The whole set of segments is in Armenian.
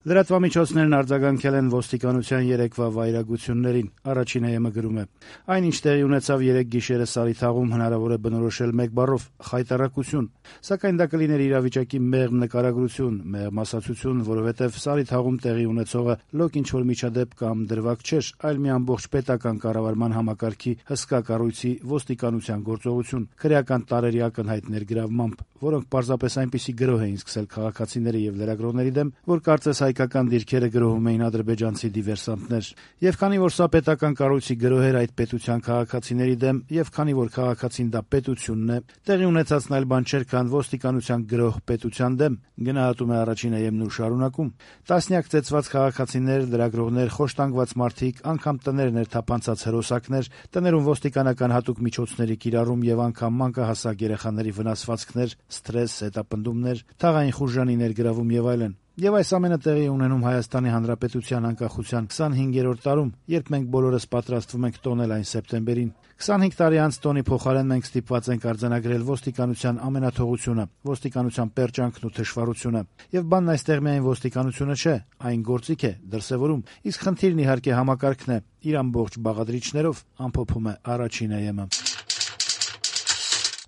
Լրատվամիջոցներն արձագանքել են ոստիկանության երեկվա վայրագություններին։ Առաջինը ԵՄ գրում է. այն, ինչ տեղի ունեցավ երեկ գիշերը Սարիթաղում, հնարավոր է բնորոշել մեկ բառով՝ խայտառակություն, սակայն դա կլիներ իրավիճակի մեղմ նկարագրություն, մեղմ ասացություն, որովհետև Սարիթաղում տեղի ունեցողը լոկ ինչ-որ միջադեպ կամ դրվագ չէր, այլ մի ամբողջ պետական կառավարման համակարգի հսկա կառույցի ոստիկանության գործողություն, քրեական տարրերի ակնհայտ ներգրավմամբ, որոնք պարզապես այնպիսի գրոհ էին սկսել քաղաքացիների եւ լրագրողների դեմ, որ կարծես հայկական դիրքերը գրոհում էին ադրբեջանցի դիվերսանտներ։ Եվ քանի որ սա պետական կառույցի գրոհ էր այդ պետության քաղաքացիների դեմ, եւ քանի որ քաղաքացին դա պետությունն է, տեղի ունեցածն այլ բան չէր, քան ոստիկանության գրոհ պետության դեմ, գնահատում է առաջինը ԵՄ-ն ու շարունակում. տասնյակ ծեծված քաղաքացիներ, լրագրողներ, խոշտանգված մարդիկ, անգամ տներ ներթափանցած հրոսակներ, տներում ոստիկանական հատուկ միջոցների կիրառում եւ անգամ մանկահասակ երեխաների վնասվածքներ, սթրես, հետապնդումներ, թաղային խուժանի ներգրավում եւ այլն։ Եվ այս ամենը տեղի է ունենում Հայաստանի Հանրապետության անկախության 25-րդ տարում, երբ մենք բոլորս պատրաստվում ենք տոնել այն սեպտեմբերին։ 25 տարի անց տոնի փոխարեն մենք ստիպված ենք արձանագրել ոստիկանության ամենաթողությունը, ոստիկանության պերճանքն ու թշվառությունը։ Եվ բանն այստեղ միայն ոստիկանությունը չէ, այն գործիք է, դրսևորում, իսկ խնդիրն իհարկե համակարգն է, իր ամբողջ բաղադրիչներով, ամփոփում է առաջինը ԵՄ-ը։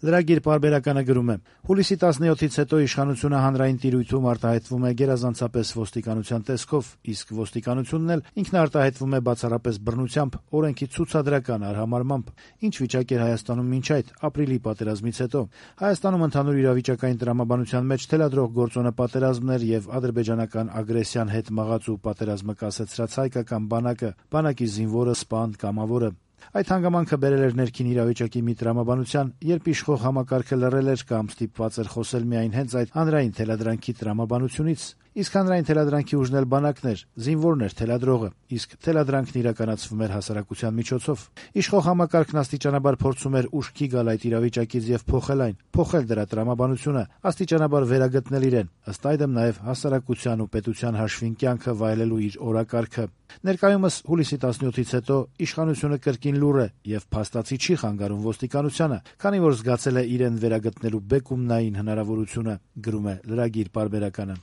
Լրագիր պարբերականը գրում է. հուլիսի 17-ից հետո իշխանությունը հանրային տիրույթում արտահայտվում է գերազանցապես ոստիկանության տեսքով, իսկ ոստիկանությունն էլ ինքնարտահայտվում է բացառապես բռնությամբ, օրենքի ցուցադրական արհամարմամբ։ Ինչ վիճակ էր Հայաստանում մինչ այդ ապրիլի պատերազմից հետո։ Հայաստանում ընդհանուր իրավիճակային տրամաբանության մեջ թելադրող գործոնը պատերազմն էր եւ ադրբեջանական ագրեսիան հետ մղած ու պատերազմը կասեցրած հայկական բանակի զինվորը, սպան, կամավորը։ Այդ հանգամանքը բերել էր ներքին իրավիճակի մի տրամաբանության, երբ իշխող համակարգը լռել էր կամ ստիպված էր խոսել միայն հենց այդ հանրային թելադրանքի տրամաբանությունից։ Իսկ հանրային թելադրանքի ուժն էլ բանակն էր, զինվորն էր թելադրողը, իսկ թելադրանքն իրականացվում էր հասարակության միջոցով։ Իշխող համակարգն աստիճանաբար փորձում էր ուշքի գալ այդ իրավիճակից եւ փոխել այն, փոխել դրա տրամաբանությունը, աստիճանաբար վերագտնել իրեն, ըստ այդմ նաեւ հասարակության ու պետության հաշվին կյանքը վայելելու իր օրակարգը։ Ներկայումս հուլիսի 17-ից հետո իշխանությունը կրկին լուռ է եւ փաստացի չի խանգարում ոստիկանությանը, քանի որ զգացել է իրեն վերագտնելու բեկումնային հնարավորությունը, գրում է լրագիր պարբերականը։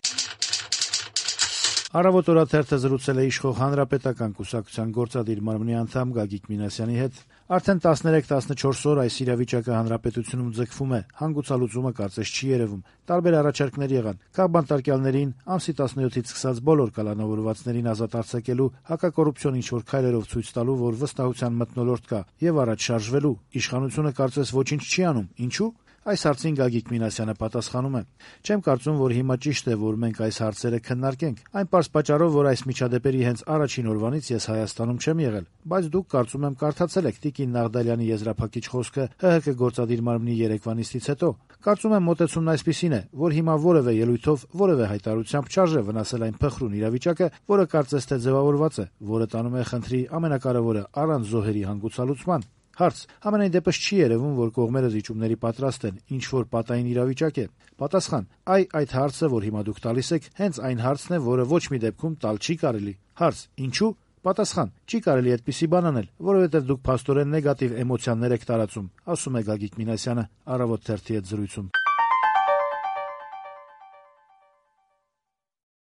Առավոտ օրաթերթը զրուցել է իշխող Հանրապետական կուսակցության գործադիր մարմնի անդամ Գագիկ Մինասյանի հետ։ Արդեն 13-14 օր այս իրավիճակը հանրապետությունում ձգվում է, հանգուցալուծումը կարծես չի երևում։ Տարբեր առաջարկներ եղան։ Կա բանտարկյալներին ամսի 17-ից սկսած բոլոր կալանավորվածներին ազատ արձակելու, հակակոռուպցիոն ինչ-որ քայլերով ցույց տալու, որ վստահության մթնոլորտ կա, եւ առաջ շարժվելու։ Իշխանությունը կարծես ոչինչ չի անում։ Ինչու՞։ Այս հարցին Գագիկ Մինասյանը պատասխանում է. չեմ կարծում, որ հիմա ճիշտ է, որ մենք այս հարցերը քննարկենք։ Այն պարզ պատճառով, որ այս միջադեպերի հենց առաջին օրվանից ես Հայաստանում չեմ եղել, բայց դուք կարծում եմ կարդացել եք Տիկին Նաղդալյանի եզրափակիչ խոսքը ՀՀԿ գործադիր մարմնի երեկվա նիստից հետո։ Կարծում եմ մոտեցումն այսպիսին է, որ հիմա որևէ ելույթով, որևէ հայտարարությամբ չարժե վնասել այն փխրուն իրավիճակը, որը կարծես թե ձևավորված է, որը տանում է խնդրի ամենակարևորը առանց զոհերի հանգուցալուծման։ Հարց. համենայն դեպս չի երևում, որ կողմերը զիջումների պատրաստ են, ինչ որ պատային իրավիճակ է։ Պատասխան. այդ հարցը, որ հիմա դուք տալիս եք, հենց այն հարցն է, որը ոչ մի դեպքում տալ չի կարելի։ Հարց. ինչու՞։ Պատասխան. չի կարելի այդպիսի բան անել, որովհետև դուք փաստորեն նեգատիվ էմոցիաներ եք տարածում, ասում է Գագիկ Մինասյանը Առավոտ թերթի հետ զրույցում։